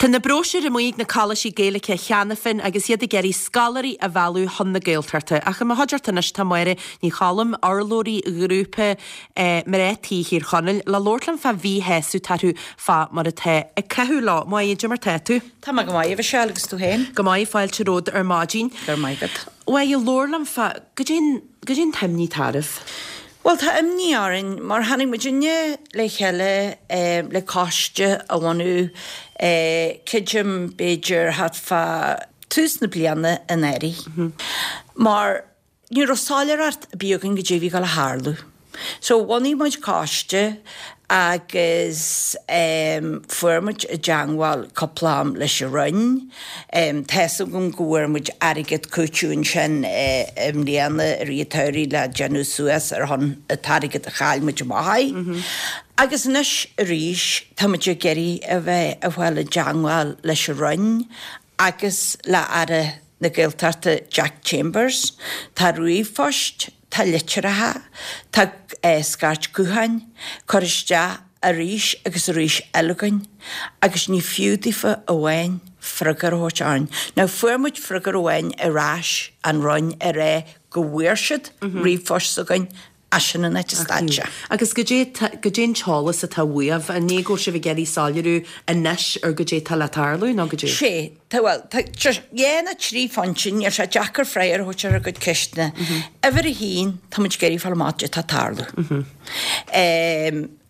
Tá na bróisiúir amuigh ag na coláistí Gaeilge cheana féin agus iad ag iarraidh scoláirí a mhealladh chun na Gaeltachta. Ach i mo chuideachta anois tá Máire Ní Choilm, urlabhraí ghrúpa Mná Tí Thír Chonaill, le labhairt liom fá mhíshásamh atá orthu fá mar atá ag caitheamh leo. Máire, cad é mar tá tú? Tá mé go maith, a Mhichelle, agus tú féin? Go maith, fáilte romhat ar maidin. Go raibh maith agat. Máire, labhair liom fá, goidé goidé an t-imní atá oraibh? Bhuel, tá imní orainn mar tháinig muidinne le chéile le coiste a bhunú, creidim b'fhéidir thart fá tús na bliana anuraidh, mar ní raibh soiléireacht ar bith againn goidé a bhí ag dul a tharlú. So bhunaigh muid coiste agus fuair muid i dteangmháil cúpla am leis an Roinn. Tá's agam go bhfuair muid airgead cúiteamh ansin i mbliana i rith an tsamhraidh le déanamh suas ar shon an t-airgead a chaill muid amach é. Agus anois arís tá muid ag iarraidh a bheith ag fáil i dteangmháil leis an Roinn agus le Aire na Gaeltachta Jack Chambers. Tá ríomhphoist, tá litreacha, tá scairt gutháin curtha isteach arís agus arís eile againn agus ní fiú daofa amháin freagra a thabhairt orainn. Now fuair muid freagra amháin ar ais ón Roinn ag rá go bhfuair siad ríomhphost s'againn Ach sin an áit a stad sé. Agus goidé, goidé an t-eolas atá uaibh? An é go bhfuil sibh ag iarraidh soiléiriú anois ar goidé atá le tarlú nó goidé? Sé, tá, bhuel, tá, dhá nó trí phointe, níl sé deacair freagra a thabhairt ar a gcuid ceisteanna. Uimhir a haon, tá muid ag iarraidh fáil amach goidé atá ag tarlú.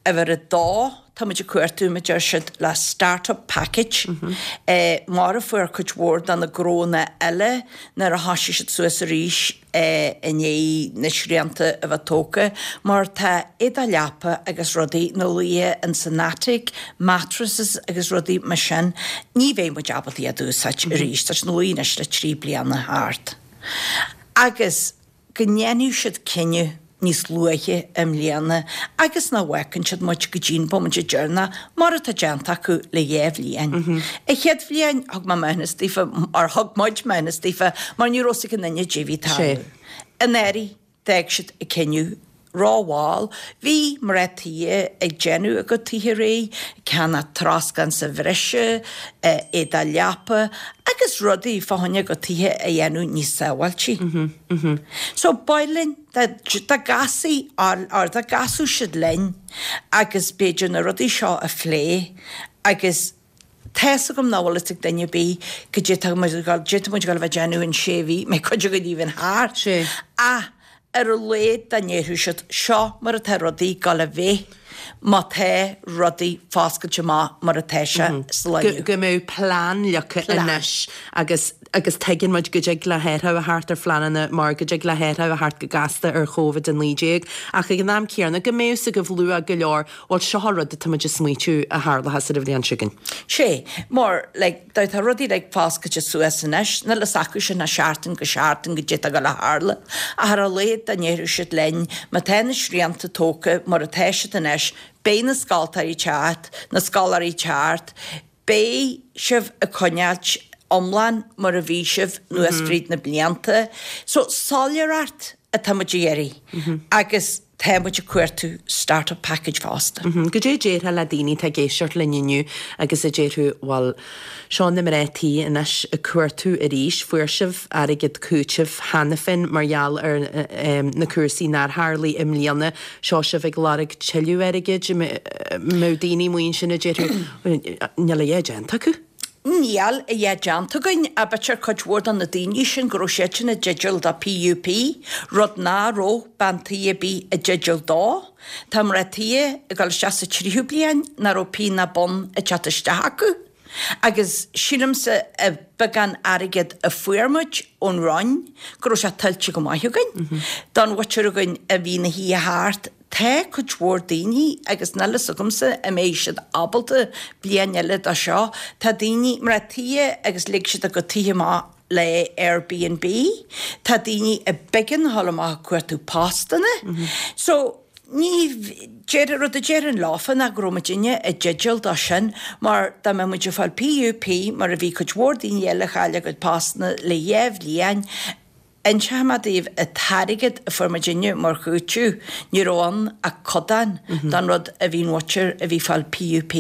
Uimhir a dó, tá muid ag cuartú, mar a deir siad, le start-up package, mar a fuair cuid mhór de na gnónna eile nuair a thoisigh siad suas arís i ndiaidh na srianta a bheith tógtha, mar tá éadach leapa agus rudaí ina luí ins an attic, mattresses agus rudaí mar sin, ní bheidh muid ábalta iad a úsáid arís, tá siad ina luí anois le 3 bliana thart. Agus go ndéanfaidh siad cinneadh níos luaithe i mbliana agus nach bhfágann siad muid go dtí'n bomaite deireanach, mar atá déanta acu le dhá bhliain. An chéad bhliain, thug mé maithiúnas daofa, or thug muid maithiúnas daofa, mar ní raibh 's ag aon duine goidé a bhí ag tarlú. Anuraidh, d'fhág siad an cinneadh rómhall. Bhí mná tí ag déanamh a gcuid tithe réidh, ag ceannach troscán sa bhreise, éadach leapa agus rudaí fá choinne a gcuid tithe a dhéanamh níos sábháiltí. So, b'áil linn dá gcasfaí, or dá gcasfadh siad linn agus b'fhéidir na rudaí seo a phlé agus tá's agam nach bhfuil fhios ag duine ar bith goidé tá muid ag dul, goidé tá muid ag dul a bheith ag déanamh in sé mhí, mbeidh cuid againn even thart. Ach ar a laghad dá ndéarfadh siad, seo mar atá rudaí ag dul a bheith má tá rudaí foscailte amach mar atá sé sa lá inniu. Go mbeadh plean leagtha anois agus agus tuigeann muid go dtig le hathrú a theacht ar phleananna mar go dtig le hathrú a theacht go gasta ar Covid-19 ach ag an am céanna go mbeadh 's agaibh luath go leor bhuel seo an rud atá muid ag smaoitiú a tharlóchas ar an bhliain seo chugainn. Sé, mar, like, dá tá rudaí like foscailte suas anois, níl fhios acu sin ó sheachtain go seachtain goidé atá ag dul a tharlú. Ach ar a laghad dá ndéarfadh siad linn, má tá na srianta tógtha mar atá siad anois, beidh na scoltóirí teacht, na scoláirí teacht, beidh sibh ag coinneáilt iomlán mar a bhí sibh anuas fríd na blianta. So, soiléireacht atá muid a iarraidh agus tá muid ag cuartú start-up package fosta. Goidé a déarfá le daoine atá ag éisteacht linn inniu agus a déarfadh, bhuel, seo na mná tí anois ag cuartú arís, fuair sibh airgead cúitimh cheana féin mar gheall ar na cúrsaí nár tharlaigh i mbliana, seo sibh ag lorg tuilleadh airgid, mbeadh daoine amuigh ansin a déarfadh, níl a dhath déanta acu. Níl a dhath déanta againn, ach b'fhéidir cuid mhór de na daoine sin go raibh siadsan i dteideal do PUP, rud ná raibh bean tí ar bith i dteideal dó. Tá mná tí ag dul isteach sa tríú bliain ná raibh pingin ná bonn ag teacht isteach acu. Agus sílimse an beagán airgead a fuair muid ón Roinn go raibh sé tuillte go maith againn. Don mhuintir againn a bhí ina shuí thart, Tá cuid mhór daoine, agus níl fhios agamsa an mbeidh siad ábalta bliain eile dó seo, tá daoine, mná tí agus lig siad a gcuid tithe amach le Airbnb, tá daoine a b'éigean a dhul amach ag cuartú postanna. So, ní, deir, rud a déarfainn leofa ná go raibh muidinne i dteideal dó sin mar dá mbeadh muid ag fáil PUP mar a bhí cuid mhór daoine eile a chaill a gcuid postanna le dhá bhliain. Inseoidh mé daoibh, an t-airgead a fuair muidinne mar chúiteamh, ní raibh ann ach codán den rud a bhí an mhuintir a bhí ag fáil PUP.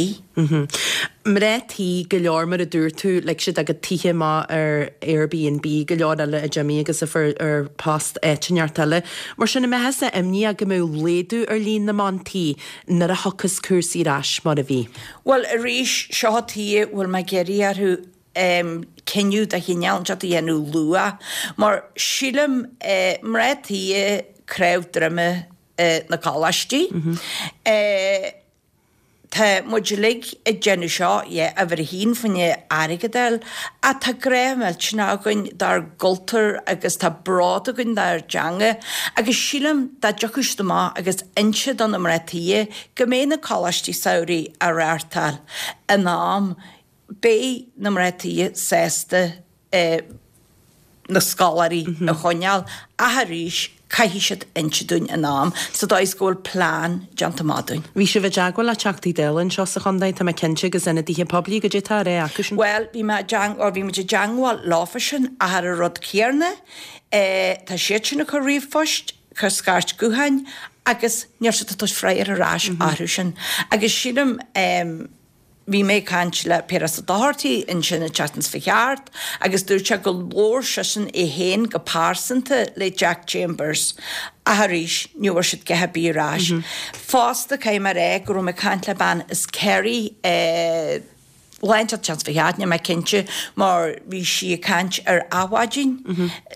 Mná tí go leor mar a dúirt tú, lig siad a gcuid tithe amach ar Airbnb, go leor eile a d'imigh agus a fuair post áit inteacht eile. Mar sin, an mbeifeása imníoch go mbeadh laghdú ar líon na mban tí nuair a thiocfas cúrsaí ar ais mar a bhí? Bhuel, arís, seo an tuige a bhfuil mé ag iarraidh orthu cinneadh de chineál inteacht a dhéanamh luath, mar sílim, mná tí cnámh droime na coláistí. Tá muid uilig ag déanamh seo, yeah, uimhir a haon fá choinne airgead a fháil, ach tá grá millteanach againn dár gcultúr agus tá bród againn dár dteanga agus sílim dá dtiocfadh siad amach agus inse do na mná tí go mbeidh na coláistí samhraidh á reáchtáil in am, Beidh na mná tí sásta na scoláirí a choinneáil ach arís caithfidh siad inse dúinn in am sa dóigh is go bhfuil plean déanta amach dúinn. Bhí sibh i dteagmháil le Teachtaí Dála anseo sa chontae, tá mé cinnte, agus ionadaithe poiblí, goidé atá á rá acu sin? Bhuel, bhí mé i dteang, bhí muid i dteagmháil leofa sin ach ar an rud céarna, tá siad sin ag cur ríomhphoist, cur scairt gutháin agus níl siad ag tabhairt freagra ar ais orthu sin agus sílim, Bhí mé ag caint le Piaras Ó Dochartaigh ansin an tseachtain seo thart agus dúirt sé go labhair seisean é féin go pearsanta le Jack Chambers ach arís ní bhfuair siad guth ar bith ar ais. Fosta caithfidh mé a rá go raibh mé ag caint le bean as Kerry lá inteacht an tseachtain seo thart, níl mé cinnte mar bhí sí ag caint ar Adhmhaidin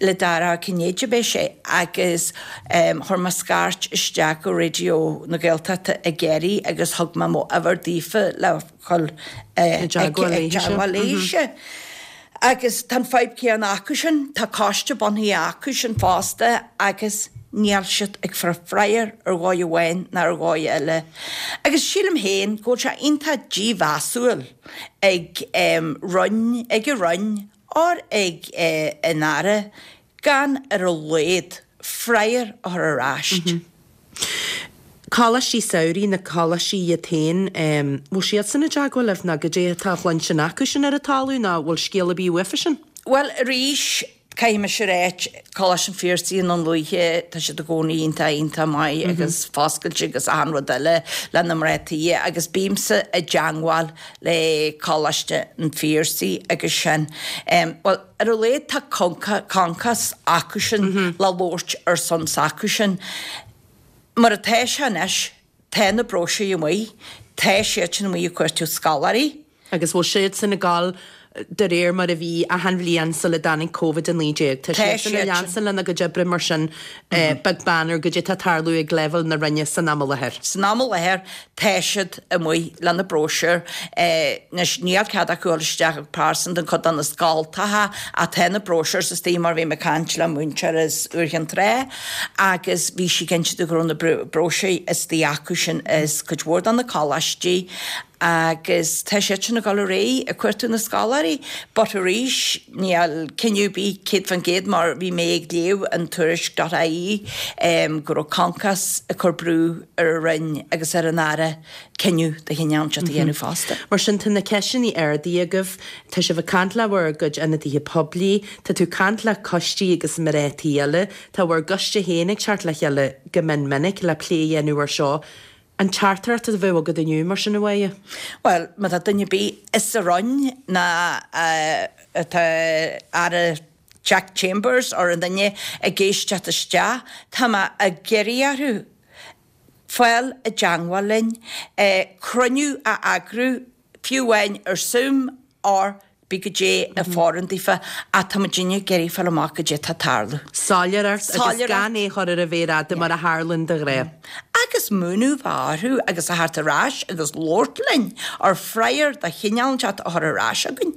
le Dara Ó Cinnéide ab é sé agus Chuir mé scairt isteach go Raidió na Gaeltachta i gCiarraí agus thug mé mo uimhir daofa le dhul i dteagmháil léise. Agus tá an fadhb céanna acu sin, tá coiste bunaithe acu sin fosta agus níl siad ag fáil freagra ar dhóigh amháin ná ar dhóigh eile. Agus sílim féin go bhfuil sé iontach dímheasúil ag Roinn, ag an Roinn or ag an Aire gan ar a laghad freagra a chur ar ais. Coláistí samhraidh, na coláistí iad féin, bhfuil siadsan i dteagmháil libh nó goidé atá á chluinstin acu sin ar an talamh nó bhfuil scéal ar bith uafa sin? Bhuel, arís, caithfidh mise a ráit, Coláiste an Phiarsaigh i nDún Lúiche, tá siad i gcónaí iontach, iontach maith agus foscailte agus achan rud eile le na mná tí agus bímse i dteagmháil le Coláiste an Phiarsaigh agus sin. Bhuel, Ar a laghad tá concas acu sin le labhairt ar son s'acu sin. Mar atá sé anois, tá na bróisiúir amuigh, tá siad sin amuigh ag cuartú scoláirí. Agus bhfuil siad sin ag gabháil de réir mar a bhí achan bhliain sula dtáinig Covid-19? Tá siad sin ag leanstan lena gcuid oibre mar sin, beag beann ar goidé atá ag tarlú ag leibhéal na Roinne san am i láthair. San am i láthair, Tá siad amuigh lena bróisiúir. Anois, níl cead acu dul isteach go pearsanta in cuid de na scoltacha ach tá na brochures istigh mar bhí mé ag caint le múinteoir as Iúr Chinn Trá agus bhí sí ag inse go raibh na bróisiúir istigh acu sin as cuid mhór de na coláistí agus tá siad sin ag dul ar aghaidh ag cuartú na scoláirí but arís níl cinneadh ar bith 100% mar bhí mé ag léamh an tuairisc dot ie go raibh Concos ag cur brú ar an Roinn agus ar an Aire cinneadh de chineál inteacht a dhéanamh fosta. Mar sin, tá na ceisteanna ardaithe agaibh, tá sibh ag caint le bhur gcuid ionadaithe poiblí, tá tú ag caint le coistí agus mná tí eile, tá bhur gcoiste féin ag teacht le chéile go mion minic le plé a dhéanamh ar seo. An teachtaireacht a bheadh agat inniu, mar sin, a Mháire? Bhuel, má tá duine ar bith sa Roinn ná atá Aire Jack Chambers or aon duine ag éisteacht isteach, tá mé ag iarraidh orthu fáil i dteangmháil linn, cruinniú a eagrú, fiú amháin ar Zoom or cibé goidé a fhóireann daofa, ach tá muidinne ag iarraidh fáil amach goidé atá ag tarlú. Soiléireacht agus gan é a chur ar an mhéar fhada mar a tharlaíonn de ghnáth. Agus múineadh a bheith orthu agus a theacht ar ais agus labhairt linn, or freagra de chineál inteacht a chur ar ais againn.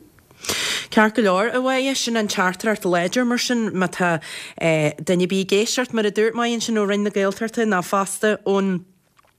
Ceart go leor, a Mháire, sin an teachtaireacht láidir mar sin má tá duine ar bith ag éisteacht, mar a dúirt Máire ansin ó Roinn na Gaeltachta nó fosta ón.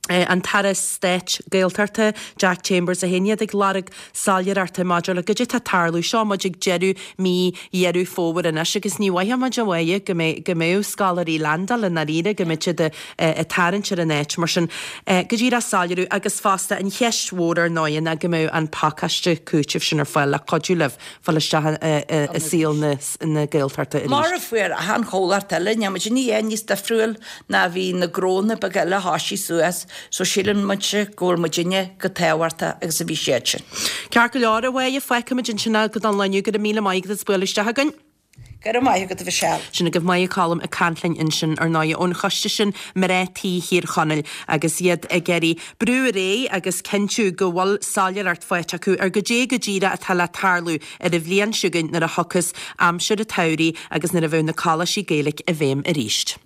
An tAire Stáit Gaeltachta, Jack Chambers é féin, iad ag lorg soiléireachta maidir le goidé tá ag tarlú. Seo muid ag deireadh mí Dheireadh Fómhair anois agus ní mhaithfidh muid a Mháire go mbeidh go mbeadh scoláirí landáil i ndáiríre, go mbeidh siad ag tarraingt ar an áit mar sin. Go díreach soiléiriú agus fosta an cheist mhór ar ndóigh ná go mbeadh an pacáiste cúitimh sin ar fáil le cuidiú libh fáil isteach i saol na Gaeltachta arís. Mar a fuair achan chomhlacht eile, níl muid a dhath níos difriúil ná bhí na gnónna beaga eile a thoisigh suas, so síleann muidse go bhfuil muidinne chomh tábhachtach agus a bhí siad sin. Ceart go leor, a Mháire, fágfaimid ansin é don lá inniu. Go raibh míle maith agat as bualadh isteach againn. Go raibh maith agat, a Mhichelle. Sin agaibh Máire Colm ag caint linn ansin, ar ndóigh, ón choiste sin, Mná Tí Thír Chonaill, agus iad ag iarraidh brú ar aghaidh agus cinntiú go bhfuil soiléireacht faighte acu ar goidé go díreach atá le tarlú ar an bhliain seo chugainn nuair a thiocfas aimsir an tsamhraidh agus nuair a bheidh na coláistí Gaeilge i bhfeidhm arís.